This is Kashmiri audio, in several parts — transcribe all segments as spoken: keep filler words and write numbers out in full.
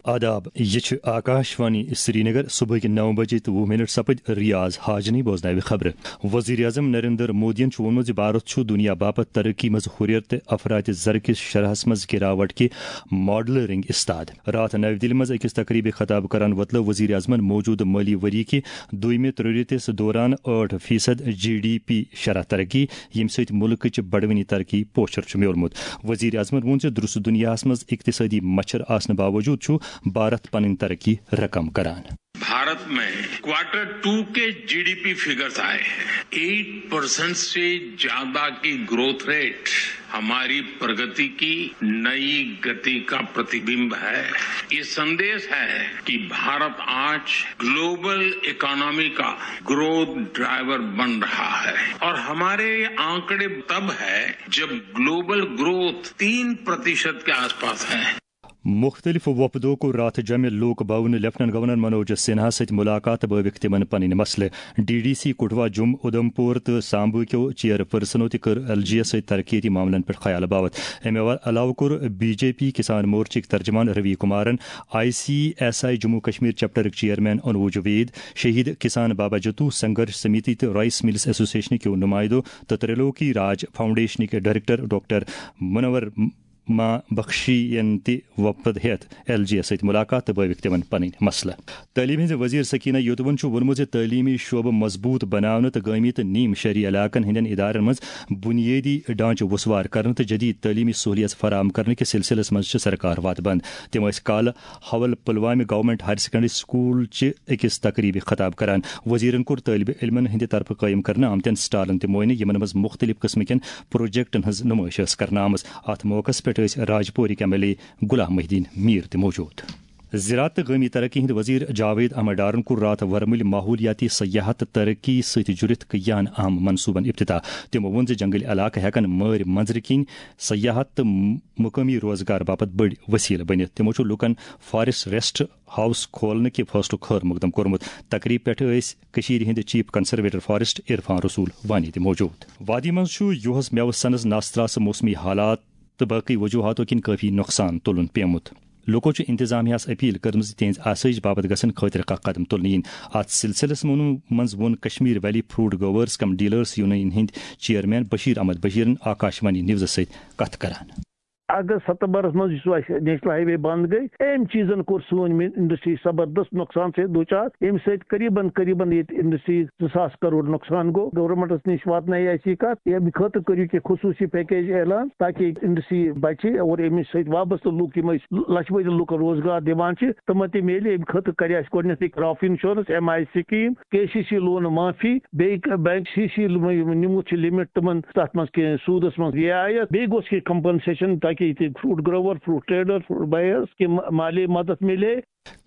آداب، یہِ چھُ آکاش وانی سرینگر۔ صبحٕکۍ نو بجے تہٕ وُہ منٹ سپٕدۍ۔ ریاض حاجنی بوزناوِ خبرٕ۔ وزیر اعظم نریندر مودیَن چھُ ووٚنمُت زِ بھارت چھُ دُنیا باپتھ ترقی منٛز ہُرٮ۪ر تہٕ افراط زر کِس شرحس منٛز گراوٹ کہِ ماڈلہٕ رٔنگۍ استاد۔ راتھ نَوِ دِلہِ منٛز أکِس تقریبہِ خطاب کران وۄتلٲو وزیر اعظمَن موجودٕ مٲلی ؤری کہِ دوٚیمہِ ترٛوٚرِ تِس دوران ٲٹھ فیصد جی ڈی پی شرح ترقی، ییٚمہِ سۭتۍ مُلکٕچ بڑوٕنی ترقی پوچھر چھُ میوٗلمُت۔ وزیر اعظمَن ووٚن زِ درست دُنیاہَس منٛز اقتصٲدی مچھر آسنہٕ باوجوٗد چھُ بھارت پنٕنۍ ترقی رقم کران۔ भारत में क्वार्टर टू के जीडीपी फिगर्स आए हैं। एट परसेंट से ज्यादा की ग्रोथ रेट हमारी प्रगति की नई गति का प्रतिबिंब है। ये संदेश है कि भारत आज ग्लोबल इकोनॉमी का ग्रोथ ड्राइवर बन रहा है। और हमारे ये आंकड़े तब है जब ग्लोबल ग्रोथ तीन प्रतिशत के आसपास है। مُختٔلِف وۄپدو کوٚر راتھ جمع لوک بھون لیفٹیننٹ گورنر منوج سنہا سۭتۍ مُلاقات تہٕ بٲوِکھ تِمن پنٕنۍ مسلہٕ۔ ڈی ڈی سی کٹھوا، جوٚم، اُدھمپور تہٕ سامبو کیو چیئر پرسنو تہِ کٔر ایل جی یس سۭتۍ ترقیتی معاملن پٮ۪ٹھ خیال باوتھ۔ امہِ علاوٕ کوٚر بی جے پی کسان مورچٕکۍ ترجمان روی کمارن، I C S I Jammu Kashmir چیپٹرٕکۍ چیئرمین انوج وید، شہید کسان بابا جتو سنگھرش سمیتی تہٕ رائس ملز ایسوسیشن کیو نمائندو تہٕ تریلوکی راج فاؤنڈیشنٕکۍ ڈائریکٹر ڈاکٹر منور ما بخشی ین تہِ وۄپد ہیتھ ایل جی یس سۭتۍ مُلاقات تہٕ بٲوِکھ تِمن پنٕنۍ مسلہٕ۔ تعلیٖم ہٕنٛزِ وزیر سکینہ یوتون چھُ ووٚنمُت زِ تعلیٖمی شعبہٕ مضبوٗط بناونہٕ تہٕ گٲمی تہٕ نیم شہری علاقن ہٕنٛدٮ۪ن ادارن منٛز بُنیٲدی ڈھانچہٕ وُسوار کرنہٕ تہٕ جدید تعلیٖمی سہولیژ فراہم کرنہٕ کِس سلسلس منٛز چھِ سرکار وتھ بند۔ تِم ٲسۍ کالہٕ حول پلوامہِ گورنمنٹ ہائر سیکنڈری سکول چہِ أکِس تقریبہِ خطاب کران۔ وزیرن کوٚر طٲلبہِ علمن ہٕنٛدِ طرفہٕ قٲیِم کرنہٕ آمتٮ۪ن سٹالن تہِ معائنہٕ، یِمن منٛز مُختٔلِف قٕسمٕکٮ۪ن پروجیکٹن ہٕنٛز نُمٲیِش ٲس کرنہٕ آمٕژ۔ اتھ موقعس پٮ۪ٹھ ٲسۍ راج پورٕکۍ M L A Ghulam Mohiuddin Mir تہِ موجود۔ زراعت تہٕ گٲمی ترقی ہٕنٛدۍ وزیر جاوید احمد ڈارن کوٚر راتھ ورمُلۍ ماحولیاتی سیاحت تہٕ ترقی سۭتۍ جُڑِتھ کٔہیاہن اہم منصوٗبن افتتاح۔ تِمو ووٚن زِ جنگلی علاقہٕ ہٮ۪کن مٲرۍ منظرٕ کِنۍ سیاحت تہٕ مقٲمی روزگار باپتھ بٔڑۍ وسیلہٕ بٔنِتھ۔ تِمو چھُ لوٗکن فارسٹ ریسٹ ہاؤس کھولنہٕ کہِ فٲصلُک خٲر مقدم کوٚرمُت۔ تقریب پٮ۪ٹھ ٲسۍ کٔشیٖرِ ہٕنٛدۍ چیف کنزرویٹر فارسٹ عرفان رسول وانی تہِ موجود۔ وادی منٛز چھُ یُہس مٮ۪وٕ سنز ناستراسہٕ موسمی حالات تہٕ باقٕے وجوہاتو کِنۍ کٲفی نۄقصان تُلُن پیومُت۔ لوٗکو چھُ انتظامیہ ہَس اپیل کٔرمٕژ زِ تِہنٛز آسٲیِش باپتھ گژھن خٲطرٕ کانٛہہ قدم تُلنہٕ یِنۍ۔ اتھ سلسلس منٛز، منٛز ووٚن کشمیر ویلی فروٹ گروٲرس کم ڈیلرس یونین ہٕنٛدۍ چیئرمین بشیر احمد بشیرن آکاش وانی نیوزس سۭتۍ کتھ کران۔ اگست ستمبرس منٛز یُس اَسہِ نیشنل ہائی وے بند گٔے، أمۍ چیٖزن کوٚر سٲنۍ مین انڈسٹری زبردست نۄقصان سۭتۍ دچار، ییٚمہِ سۭتۍ قریباً، قریباً ییٚتہِ انڈسٹری زٕ ساس کرور نۄقصان گوٚو۔ گورنمنٹس نِش واتنٲے اَسہِ یہِ کَتھ، ییٚمہِ خٲطرٕ کٔرِو کینٛہہ خصوٗصی پیکیج اعلان، تاکہِ انڈسٹری بچہِ اور اَمہِ سۭتۍ وابستہٕ لُکھ، یِم أسۍ لچھ بٔدۍ لُکن روزگار دِوان چھِ، تِمن تہِ میلہِ۔ اَمہِ خٲطرٕ کرِ اَسہِ گۄڈٕنیتھٕے crop insurance, M I scheme, K C C loan معافی، بیٚیہِ ک-، بینک سی سی یِم، یِم نِمُت چھِ لِمٹ تِمن، تَتھ منٛز کینٛہہ سوٗدس منٛز رعایت، بیٚیہِ گوٚژھ کینٛہہ کمپنسیشن، تاکہِ ییٚتہِ fruit grower, fruit trader, fruit buyers کہِ ما-، مالی مدد میلے۔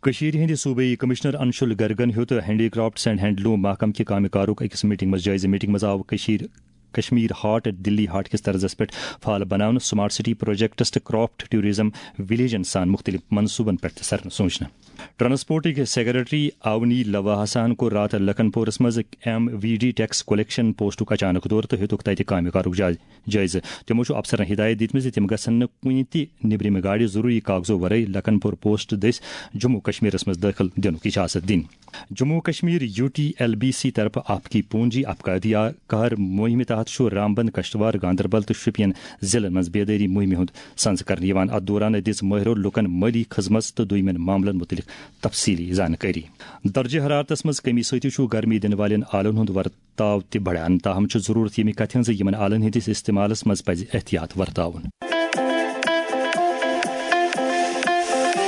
کٔشیٖرِ ہٕنٛدِ صوبٲئی کمشنر انشول گرگن ہیوٚت ہینڈی کرافٹس اینڈ ہینڈلوم محکمہٕ کہِ کامہِ کارُک أکِس میٹنگ منٛز جٲیزٕ۔ میٹنگ منٛز آو کٔشیٖر، کشمیر ہاٹ دِلی ہاٹ کِس طرزس پٮ۪ٹھ فعال بناونہٕ، سمارٹ سٹی پروجیکٹس تہٕ کرافٹ ٹورازم ولیجن سان مُختٔلِف منصوٗبن پٮ۪ٹھ تہِ سرنہٕ سوٗنچنہٕ۔ ٹرانسپورٹٕکۍ سیکرٹری اونی لواحسن کوٚر راتھ لکھن پورس منٛز M V D tax collection پوسٹُک اچانک دورٕ تہٕ ہیوٚتُکھ تتہِ کامہِ کارُک جٲیزٕ۔ جٲیزٕ۔ تِمو چھُ افسرن ہدایت دِژمٕژ زِ تِم گژھن نہٕ کُنہِ تہِ نیبرِمہِ گاڑِ ضروری کاغذو ورٲے لکھن پور پوسٹ دٔسۍ جموں کشمیرس منٛز دٲخل دِنُک اجازت دِنۍ۔ Jammu Kashmir U T L B C طرفہٕ آپ کی پونجی آپ کا ادھیکار مُہِمہِ تحت چھُ رامبند، کشتواڑ، گاندربل تہٕ شوپین ضلعن منٛز بیدٲری مُہِمہِ ہُنٛد سنز کرنہٕ یِوان۔ اتھ دوران دِژ مٲہرو لوٗکن مٲلی خدمژ تہٕ دوٚیمٮ۪ن معاملن مُتعلق تفصیٖلی زانکٲری۔ درجہ حرارتس منٛز کمی سۭتۍ چھُ گرمی دِنہٕ والٮ۪ن آلن ہُنٛد ورتاو تہِ بڑان، تاہم چھُ ضروٗرت ییٚمہِ کتھِ ہٕنٛز زِ یِمن آلن ہٕنٛدِس استعمالس منٛز پزِ احتیاط ورتاوُن۔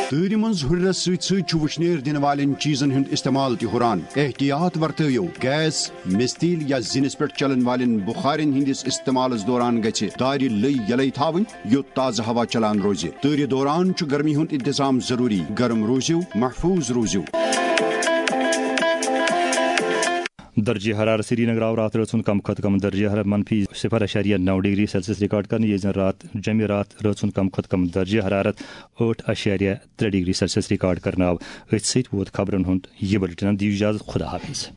تۭرِ منٛز ہُرٮ۪رس سۭتۍ سۭتۍ چھُ وُشنیر دِنہٕ والٮ۪ن چیٖزن ہُنٛد استعمال تہِ ہُران۔ احتیاط ورتٲیِو، گیس، مِستیٖل یا زِنِس پٮ۪ٹھ چلن والٮ۪ن بُخارٮ۪ن ہٕنٛدِس استعمالس دوران گژھِ دارِ لٔۍ یلے تھاوٕنۍ، یوٚت تازٕ ہوا چلان روزِ۔ تۭرِ دوران چھُ گرمی ہُنٛد انتظام ضروٗری۔ گرم روٗزِو، محفوٗظ روٗزِو۔ درجہ حرارت سرینگر آو راتھ رٲژ ہُنٛد کم کھۄتہٕ کم درجہ حرارت منفی صفر اعشاریہ نو ڈگری سیلسیس ریکارڈ کرنہٕ، ییٚلہِ زن راتھ جمعہ راتھ رٲژ ہُنٛد کم کھۄتہٕ کم درجہ حرارت ٲٹھ اعشاریہ ترٛےٚ ڈگری سیلسیس ریکارڈ کرنہٕ آو۔ أتھۍ سۭتۍ ووت خبرن ہُنٛد یہِ بُلٹن۔ دِیِو اجازت، خدا حافظ۔